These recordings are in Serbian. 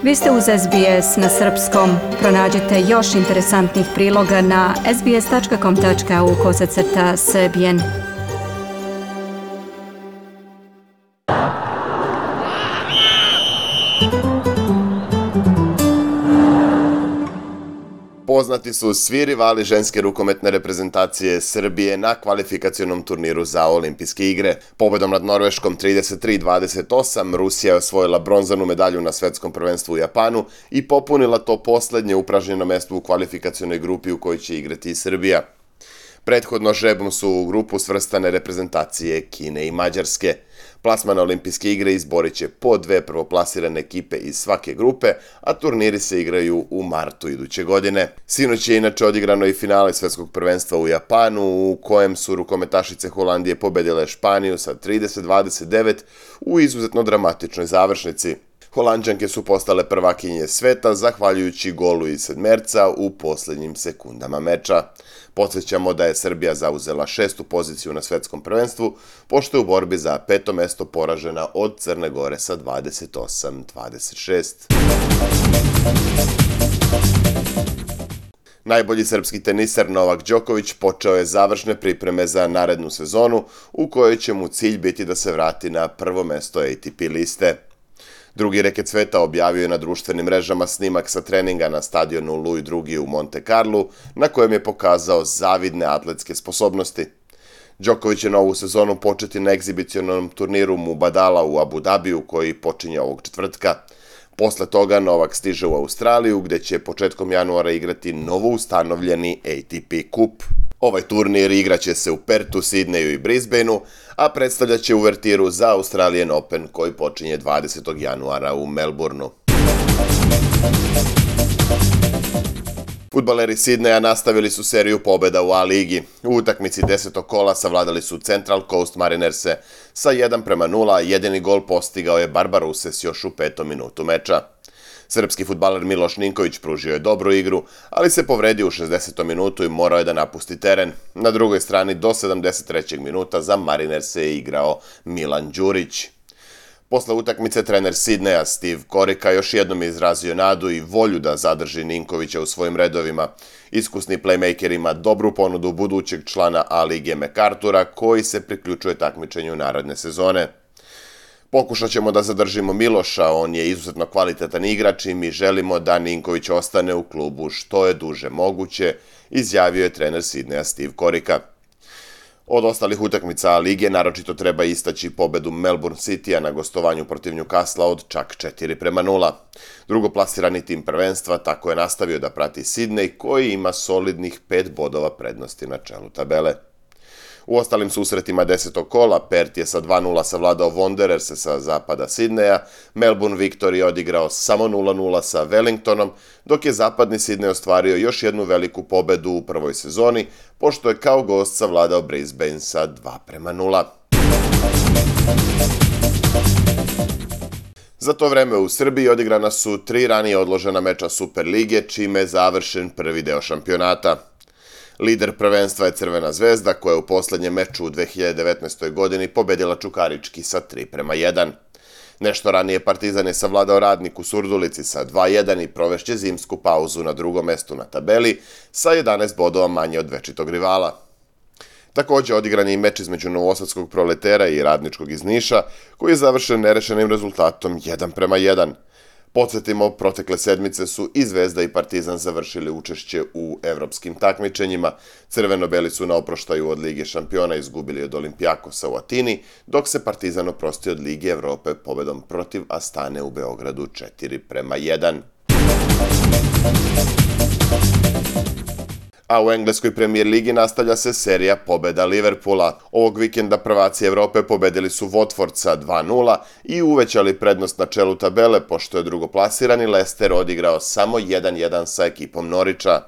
Vi ste uz SBS na srpskom. Pronađite još interesantnih priloga na sbs.com.au/srbijen. Poznati su svi rivali ženske rukometne reprezentacije Srbije na kvalifikacionom turniru za olimpijske igre. Pobedom nad Norveškom 33-28 Rusija je osvojila bronzanu medalju na svetskom prvenstvu u Japanu i popunila to poslednje upražnjeno mesto u kvalifikacionoj grupi u kojoj će igrati i Srbija. Prethodno žrebom su u grupu svrstane reprezentacije Kine i Mađarske. Plasman na olimpijske igre izborit će po dve prvoplasirane ekipe iz svake grupe, a turniri se igraju u martu iduće godine. Sinoć je inače odigrano i finale svetskog prvenstva u Japanu, u kojem su rukometašice Holandije pobedile Španiju sa 30-29 u izuzetno dramatičnoj završnici. Holanđanke su postale prvakinje sveta zahvaljujući golu iz sedmerca u posljednjim sekundama meča. Podsjećamo da je Srbija zauzela 6. poziciju na svetskom prvenstvu, pošto je u borbi za 5. mesto poražena od Crne Gore sa 28-26. Najbolji srpski teniser Novak Đoković počeo je završne pripreme za narednu sezonu, u kojoj će mu cilj biti da se vrati na prvo mesto ATP liste. Drugi reket sveta objavio je na društvenim mrežama snimak sa treninga na stadionu Louis II u Monte Carlu, na kojem je pokazao zavidne atletske sposobnosti. Đoković će novu sezonu početi na egzibicionalnom turniru Mubadala u Abu Dhabiju, koji počinje ovog četvrtka. Posle toga Novak stiže u Australiju, gde će početkom januara igrati novoustanovljeni ATP kup. Ovaj turnir igraće se u Pertu, Sidneju i Brisbaneu, a predstavljaće uvertiru za Australian Open koji počinje 20. januara u Melbourneu. Fudbaleri Sidneja nastavili su seriju pobjeda u A-ligi. U utakmici 10. kola savladali su Central Coast Marinerse sa 1-0, a jedini gol postigao je Barbarouses još u 5. minutu meča. Srpski fudbaler Miloš Ninković pružio je dobru igru, ali se povredio u 60. minutu i morao je da napusti teren. Na drugoj strani do 73. minuta za Marinerse je igrao Milan Đurić. Posle utakmice trener Sidneja Steve Corica još jednom je izrazio nadu i volju da zadrži Ninkovića u svojim redovima. Iskusni playmaker ima dobru ponudu budućeg člana A-lige MacArthura koji se priključuje takmičenju naredne sezone. Pokušat ćemo da zadržimo Miloša, on je izuzetno kvalitetan igrač i mi želimo da Ninković ostane u klubu što je duže moguće, izjavio je trener Sidneja Steve Corica. Od ostalih utakmica lige naročito treba istaći pobedu Melbourne Citya na gostovanju protiv Newcastle od čak 4-0. Drugoplasirani tim prvenstva tako je nastavio da prati Sidney koji ima solidnih 5 bodova prednosti na čelu tabele. U ostalim susretima 10. kola Perth je sa 2-0 savladao Wandererse sa zapada Sidneja, Melbourne Victory je odigrao samo 0-0 sa Wellingtonom, dok je zapadni Sidney ostvario još jednu veliku pobedu u prvoj sezoni, pošto je kao gost savladao Brisbane sa 2-0. Za to vreme u Srbiji odigrana su 3 ranije odložena meča Superlige, čime je završen prvi deo šampionata. Lider prvenstva je Crvena zvezda, koja je u poslednjem meču u 2019. godini pobedila Čukarički sa 3-1. Nešto ranije Partizan je savladao Radnik u Surdulici sa 2-1 i provešće zimsku pauzu na drugom mestu na tabeli sa 11 bodova manje od večitog rivala. Također odigran je i meč između Novosadskog Proletera i Radničkog iz Niša, koji je završen nerešenim rezultatom 1-1. Podsjetimo, protekle sedmice su i Zvezda i Partizan završili učešće u evropskim takmičenjima. Crveno-beli su na oproštaju od Lige šampiona izgubili od Olimpijakosa u Atini, dok se Partizan oprosti od Lige Evrope pobedom protiv Astane u Beogradu 4-1. A u engleskoj premijer ligi nastavlja se serija pobeda Liverpoola. Ovog vikenda prvaci Evrope pobedili su Watford sa 2-0 i uvećali prednost na čelu tabele, pošto je drugoplasirani Leicester odigrao samo 1-1 sa ekipom Norwicha.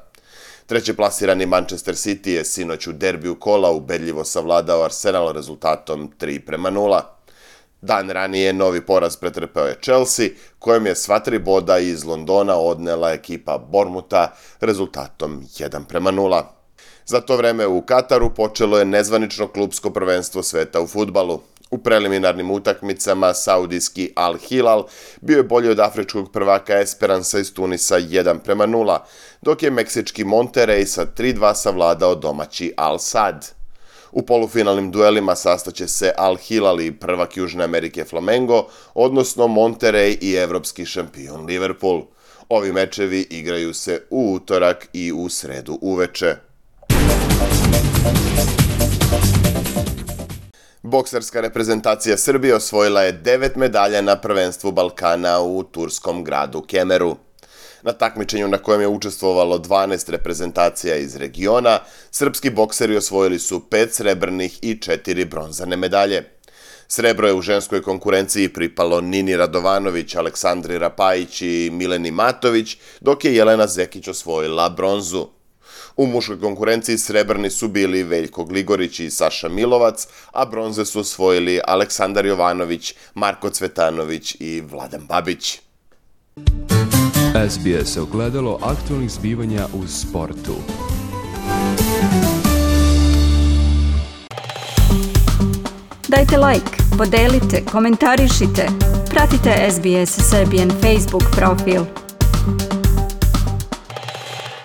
Trećeplasirani Manchester City je sinoć u derbiju kola ubedljivo savladao Arsenal rezultatom 3-0. Dan ranije novi poraz pretrpeo je Chelsea, kojem je sva 3 boda iz Londona odnela ekipa Bournemoutha rezultatom 1-0. Za to vreme u Kataru počelo je nezvanično klupsko prvenstvo sveta u fudbalu. U preliminarnim utakmicama saudijski Al Hilal bio je bolji od afričkog prvaka Esperansa iz Tunisa 1:0, dok je meksički Monterrey sa 3:2 savladao domaći Al Sad. U polufinalnim duelima sastaće se Al Hilal i prvak Južne Amerike Flamengo, odnosno Monterrey i evropski šampion Liverpool. Ovi mečevi igraju se u utorak i u sredu uveče. Bokserska reprezentacija Srbije osvojila je 9 medalja na prvenstvu Balkana u turskom gradu Kemeru. Na takmičenju na kojem je učestvovalo 12 reprezentacija iz regiona, srpski bokseri osvojili su 5 srebrnih i 4 bronzane medalje. Srebro je u ženskoj konkurenciji pripalo Nini Radovanović, Aleksandri Rapajić i Mileni Matović, dok je Jelena Zekić osvojila bronzu. U muškoj konkurenciji srebrni su bili Veljko Gligorić i Saša Milovac, a bronze su osvojili Aleksandar Jovanović, Marko Cvetanović i Vladan Babić. SBS ogledalo aktualnih zbivanja u sportu. Dajte like, podelite, komentarišite. Pratite SBS Serbian Facebook profil.